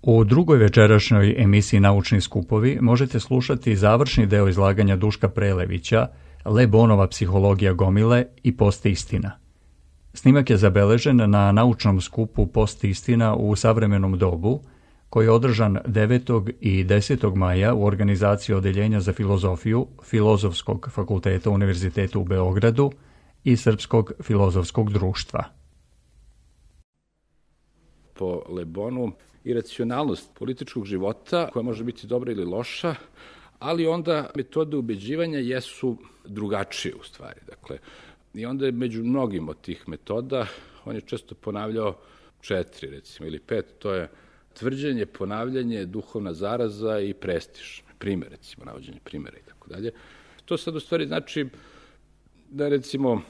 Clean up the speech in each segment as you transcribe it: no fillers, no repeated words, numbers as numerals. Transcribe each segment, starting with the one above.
U drugoj večerašnjoj emisiji Naučni skupovi možete slušati završni deo izlaganja Duška Prelevića, Le Bonova psihologija gomile i Postistina. Snimak je zabeležen na naučnom skupu Postistina u savremenom dobu, koji je održan 9. i 10. maja u organizaciji Odeljenja za filozofiju Filozofskog fakulteta Univerziteta u Beogradu i Srpskog filozofskog društva. Po Le Bonu, iracionalnost političkog života, koja može biti dobra ili loša, ali onda metode ubeđivanja jesu drugačije u stvari. Dakle, i onda je među mnogim od tih metoda, on je često ponavljao 4, recimo, ili 5, to je tvrđenje, ponavljanje, duhovna zaraza i prestiž. Primer, recimo, navođenje primera i tako dalje. To sad u stvari znači da, recimo,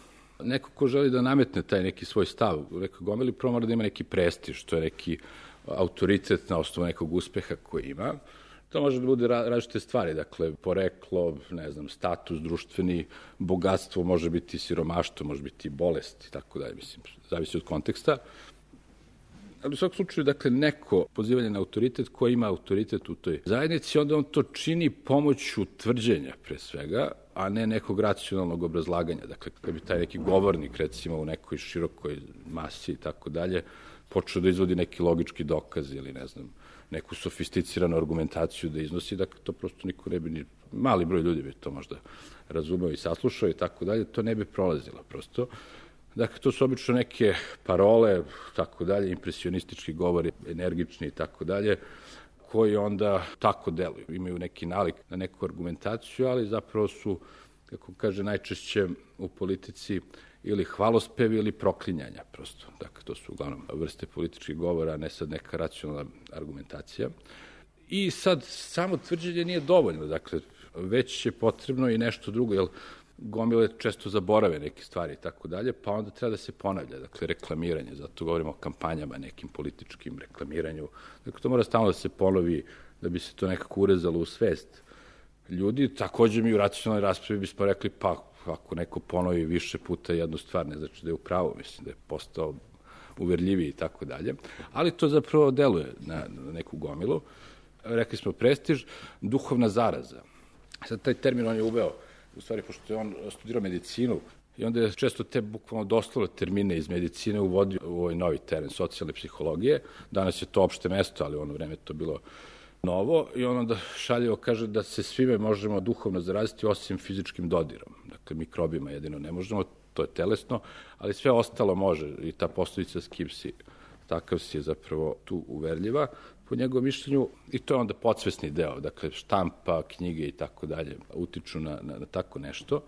neko ko želi da nametne taj neki svoj stav u nekoj gomili, prvo mora da ima neki prestiž, to je neki autoritet na osnovu nekog uspeha koji ima. To može da bude različite stvari, dakle, poreklo, ne znam, status, društveni, bogatstvo, može biti siromaštvo, može biti bolest i tako dalje, mislim, zavisi od konteksta. Ali u svakom slučaju, dakle, neko pozivanje na autoritet koji ima autoritet u toj zajednici, onda on to čini pomoću tvrđenja, pre svega, a ne nekog racionalnog obrazlaganja. Dakle, kad bi taj neki govornik, recimo, u nekoj širokoj masi i tako dalje, počeo da izvodi neki logički dokaz ili, ne znam, neku sofisticiranu argumentaciju da iznosi, dakle, to prosto niko ne bi, ni mali broj ljudi bi to možda razumeo i saslušao i tako dalje, to ne bi prolazilo prosto. Dakle, to su obično neke parole, tako dalje, impresionistički govori, energični i tako dalje, koji onda tako deluju. Imaju neki nalik na neku argumentaciju, ali zapravo su, kako kaže, najčešće u politici ili hvalospevi ili proklinjanja prosto. Dakle, to su uglavnom vrste političkih govora, a ne sad neka racionalna argumentacija. I sad, samo tvrđenje nije dovoljno, dakle, već je potrebno i nešto drugo, jer gomile često zaborave neke stvari i tako dalje, pa onda treba da se ponavlja, dakle, reklamiranje, zato govorimo o kampanjama, nekim političkim reklamiranju. Dakle, to mora stalno da se ponovi, da bi se to nekako urezalo u svest ljudi. Takođe mi u racionalnoj raspravi bismo rekli, pa ako neko ponovi više puta jednu stvar, ne znači da je u pravu, mislim da je postao uverljiviji i tako dalje, ali to zapravo deluje na neku gomilu. Rekli smo prestiž, duhovna zaraza. Sad taj termin on je uveo, u stvari, pošto je on studirao medicinu, i onda je često te bukvalno doslovne termine iz medicine uvodio u ovaj novi teren socijalne psihologije. Danas je to opšte mesto, ali u ono vreme to bilo novo, i on onda šaljivo kaže da se svime možemo duhovno zaraziti osim fizičkim dodirom. Dakle, mikrobima jedino ne možemo, to je telesno, ali sve ostalo može, i ta poslovica s kim si, takav si je zapravo tu uverljiva, po njegovom mišljenju, i to je onda podsvesni deo, dakle, štampa, knjige i tako dalje, utiču na tako nešto.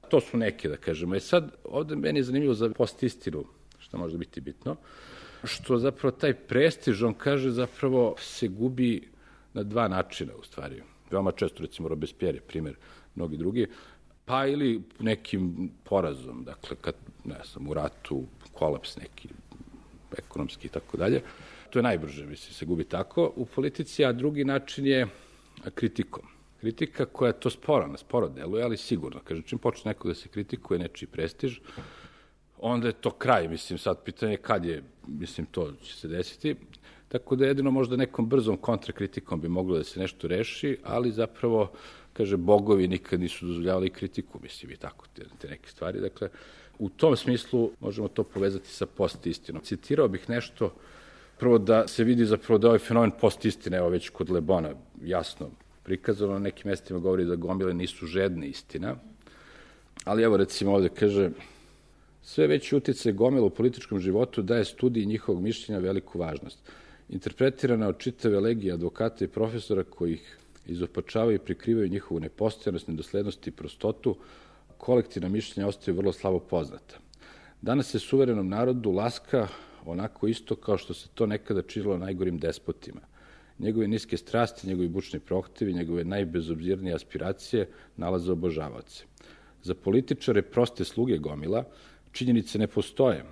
To su neke, da kažemo. I sad, ovde meni je zanimljivo za postistinu, što može biti bitno, što zapravo taj prestiž, on kaže, zapravo se gubi na 2 načina, u stvari. Veoma često, recimo, Robespierre je primer, mnogi drugi, pa ili nekim porazom, dakle, kad, ne znam, u ratu, kolaps neki, ekonomski i tako dalje. To je najbrže, mislim, se gubi tako u politici, a drugi način je kritikom. Kritika koja to sporo deluje, ali sigurno. Kaže, čim počne neko da se kritikuje nečiji prestiž, onda je to kraj, mislim, sad pitanje kad je, mislim, to će se desiti. Tako da jedino možda nekom brzom kontrakritikom bi moglo da se nešto reši, ali zapravo, kaže, bogovi nikad nisu dozvoljavali kritiku, mislim, i tako, te neke stvari. Dakle, u tom smislu možemo to povezati sa postistinom. Citirao bih nešto, prvo da se vidi zapravo da ovaj fenomen postistine, evo već kod Le Bona, jasno prikazano, na nekim mestima govori da gomile nisu žedne istina, ali evo recimo ovde kaže, sve veći uticaj gomila u političkom životu daje studiji njihovog mišljenja veliku važnost. Interpretirana od čitave legije advokata i profesora koji ih izopačavaju i prikrivaju njihovu nepostojanost, nedoslednost i prostotu, kolektivna mišljenja ostaju vrlo slabo poznata. Danas se suverenom narodu laska onako isto kao što se to nekada činilo najgorim despotima. Njegove niske strasti, njegovi bučni prohtevi, njegove najbezobzirnije aspiracije nalaze obožavaoce. Za političare proste sluge gomila činjenice ne postoje.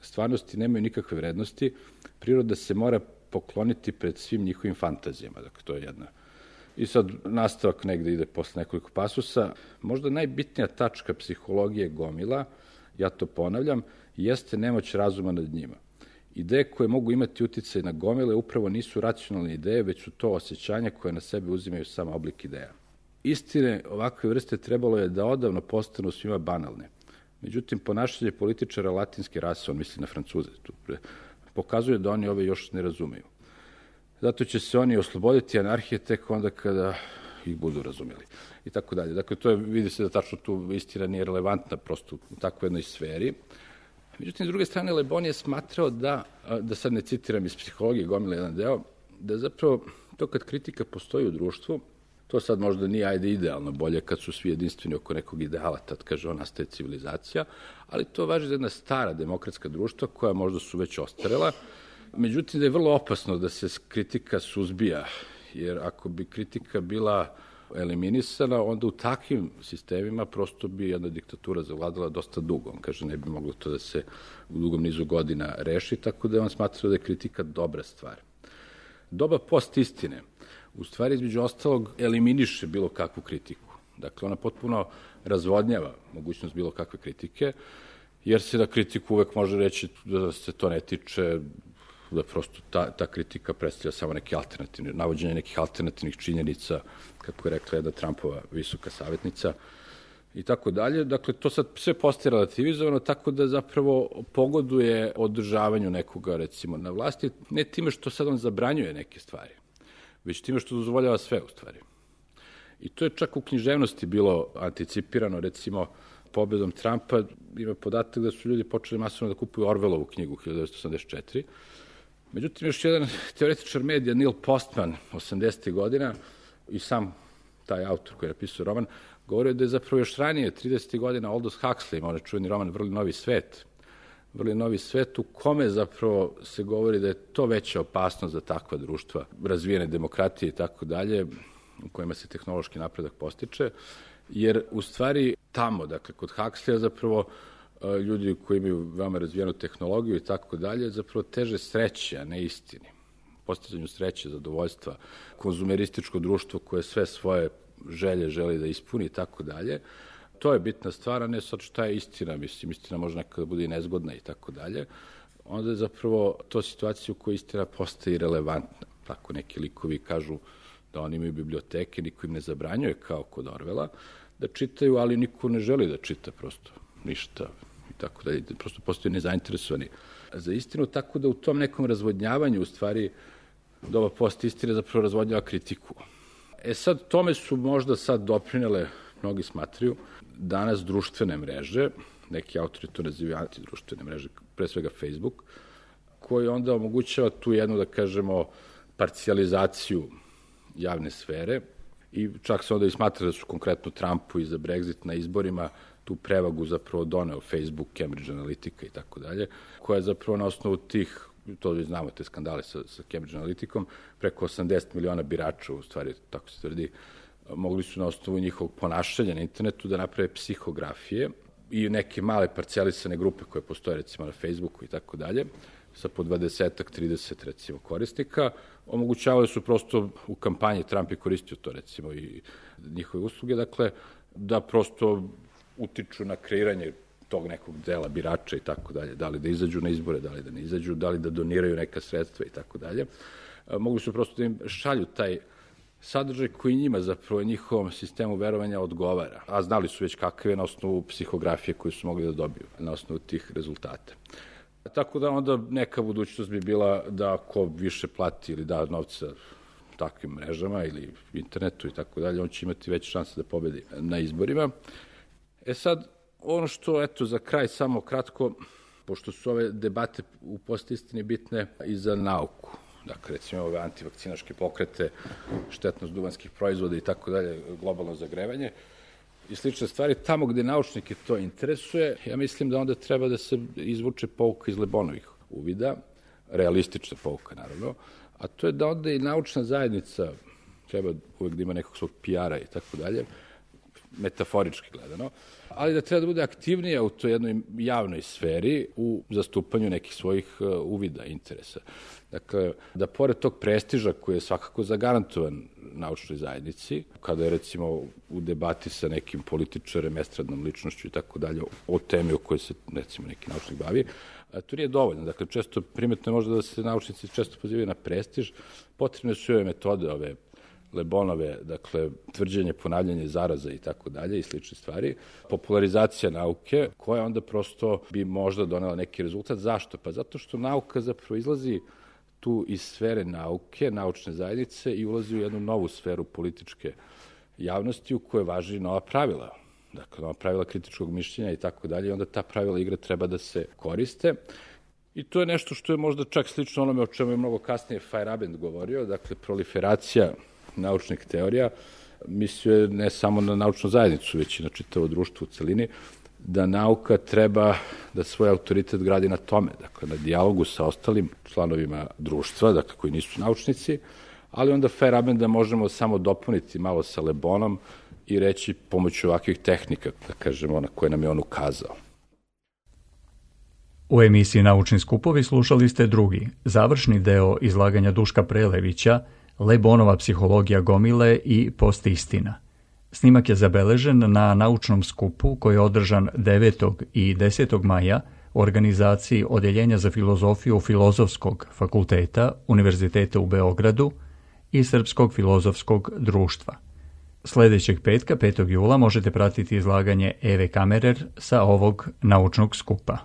Stvarnosti nemaju nikakve vrednosti, priroda se mora pokloniti pred svim njihovim fantazijama. Dakle, to je jedna. I sad nastavak negde ide posle nekoliko pasusa. Možda najbitnija tačka psihologije gomila, ja to ponavljam, jeste nemoć razuma nad njima. Ideje koje mogu imati uticaj na gomile upravo nisu racionalne ideje, već su to osjećanja koje na sebe uzimaju sam oblik ideja. Istine ovakve vrste trebalo je da odavno postanu svima banalne. Međutim, ponašanje političara latinske rase, on misli na Francuze, pokazuje da oni ove još ne razumeju. Zato će se oni osloboditi anarhije tek onda kada ih budu razumeli. I tako dalje. Dakle, to je, vidi se da tačno tu istina nije relevantna prosto u takvoj jednoj sferi. Međutim, s druge strane, Le Bon je smatrao da sad ne citiram iz psihologije Gomile jedan deo, da zapravo to kad kritika postoji u društvu, to sad možda nije idealno bolje kad su svi jedinstveni oko nekog ideala, tad kaže on nastaje civilizacija, ali to važi za jedna stara demokratska društva koja možda su već ostarela. Međutim, da je vrlo opasno da se kritika suzbija, jer ako bi kritika bila eliminisana, onda u takvim sistemima prosto bi jedna diktatura zavladala dosta dugo. On kaže, ne bi moglo to da se u dugom nizu godina reši, tako da on smatrao da je kritika dobra stvar. Doba post-istine, u stvari, između ostalog, eliminiše bilo kakvu kritiku. Dakle, ona potpuno razvodnjava mogućnost bilo kakve kritike, jer se na kritiku uvek može reći da se to ne tiče, da prosto ta kritika predstavlja samo neke alternativne, navođenje nekih alternativnih činjenica, kako je rekla jedna Trumpova visoka savjetnica, i tako dalje. Dakle, to sad sve postaje relativizovano, tako da zapravo pogoduje održavanju nekoga, recimo, na vlasti, ne time što sad on zabranjuje neke stvari, već time što dozvoljava sve, u stvari. I to je čak u književnosti bilo anticipirano, recimo, pobedom Trumpa, ima podatak da su ljudi počeli masovno da kupuju Orwellovu knjigu 1984. Međutim, još jedan teoretičar medija, Neil Postman, 80. godina, i sam taj autor koji je napisao roman, govorio da je zapravo još ranije, 30. godina, Aldous Huxley, ima onaj čuveni roman Vrli novi svet. Vrli novi svet u kome zapravo se govori da je to veća opasnost za takva društva, razvijene demokratije i tako dalje, u kojima se tehnološki napredak postiče, jer u stvari tamo, dakle, kod Huxleya zapravo ljudi koji imaju veoma razvijenu tehnologiju i tako dalje, zapravo teže sreće, a ne istini. Postizanju sreće, zadovoljstva, konzumerističko društvo koje sve svoje želje želi da ispuni i tako dalje. To je bitna stvar, a ne sad šta je istina, mislim, istina može nekada bude i nezgodna i tako dalje. Onda je zapravo to situacija u kojoj istina postaje relevantna. Tako neki likovi kažu da oni imaju biblioteke, niko im ne zabranjuje kao kod Orwella, da čitaju, ali niko ne želi da čita prosto ništa i tako dalje. Prosto postoje nezainteresovani za istinu, tako da u tom nekom razvodnjavanju, u stvari, doba post-istine zapravo razvodnjava kritiku. Sad, tome su možda sad doprinele, mnogi smatraju, danas društvene mreže, neki autori to nazivaju antidruštvene mreže, pre svega Facebook, koji onda omogućava tu jednu, da kažemo, parcijalizaciju javne sfere i čak se onda i smatra da su konkretno Trumpu i za Brexit na izborima tu prevagu zapravo doneo Facebook, Cambridge Analytica i tako dalje, koja je zapravo na osnovu tih, to vi znamo, te skandale sa Cambridge Analyticom, preko 80 miliona birača, u stvari, tako se tvrdi, mogli su na osnovu njihovog ponašanja na internetu da naprave psihografije i neke male parcijalisane grupe koje postoje recimo na Facebooku i tako dalje, sa po 20-ak, 30 recimo korisnika, omogućavali su prosto u kampanji, Trump je koristio to recimo i njihove usluge, dakle, da prosto utiču na kreiranje tog nekog dela birača i tako dalje, da li da izađu na izbore, da li da ne izađu, da li da doniraju neka sredstva i tako dalje. Mogli su prosto da im šalju taj sadržaj koji njima zapravo njihovom sistemu verovanja odgovara, a znali su već kakav je na osnovu psihografije koju su mogli da dobiju na osnovu tih rezultata. Tako da onda neka budućnost bi bila da ko više plati ili da novca takvim mrežama ili internetu i tako dalje, on će imati veće šanse da pobedi na izborima. Sad, ono što, eto, za kraj samo kratko, pošto su ove debate u postistini bitne i za nauku, dakle, recimo ove antivakcinaške pokrete, štetnost duvanskih proizvoda i tako dalje, globalno zagrevanje i slične stvari, tamo gde naučnike to interesuje, ja mislim da onda treba da se izvuče pouka iz Le Bonovih uvida, realistična pouka, naravno, a to je da onda i naučna zajednica treba uvek da ima nekog svog PR-a i tako dalje, metaforički gledano, ali da treba da bude aktivnija u toj jednoj javnoj sferi u zastupanju nekih svojih uvida, interesa. Dakle, da pored tog prestiža koji je svakako zagarantovan naučnoj zajednici, kada je recimo u debati sa nekim političarem, estradnom ličnošću i tako dalje, o temi o kojoj se recimo neki naučnik bavi, to nije dovoljno. Dakle, često primetno je možda da se naučnici često pozivaju na prestiž, potrebne su ove metode, ove Lebonove, dakle, tvrđenje, ponavljanje zaraza i tako dalje i slične stvari, popularizacija nauke, koja onda prosto bi možda donela neki rezultat. Zašto? Pa zato što nauka zapravo izlazi tu iz sfere nauke, naučne zajednice i ulazi u jednu novu sferu političke javnosti u kojoj važi nova pravila. Dakle, nova pravila kritičkog mišljenja i tako dalje, i onda ta pravila igre treba da se koriste. I to je nešto što je možda čak slično onome o čemu je mnogo kasnije Feyerabend govorio, dakle, proliferacija naučnih teorija, mislio je ne samo na naučnu zajednicu, već i na čitavo društvo u celini, da nauka treba da svoj autoritet gradi na tome, dakle, na dijalogu sa ostalim članovima društva, dakle, koji nisu naučnici, ali onda Feyerabenda možemo samo dopuniti malo sa Le Bonom i reći pomoću ovakvih tehnika, da kažemo, na koje nam je on ukazao. U emisiji Naučni skupovi slušali ste drugi, završni deo izlaganja Duška Prelevića, Le Bonova psihologija gomile i postistina. Snimak je zabeležen na naučnom skupu koji je održan 9. i 10. maja u organizaciji Odeljenja za filozofiju Filozofskog fakulteta Univerziteta u Beogradu i Srpskog filozofskog društva. Sljedećeg petka, 5. jula, možete pratiti izlaganje Eve Kamerer sa ovog naučnog skupa.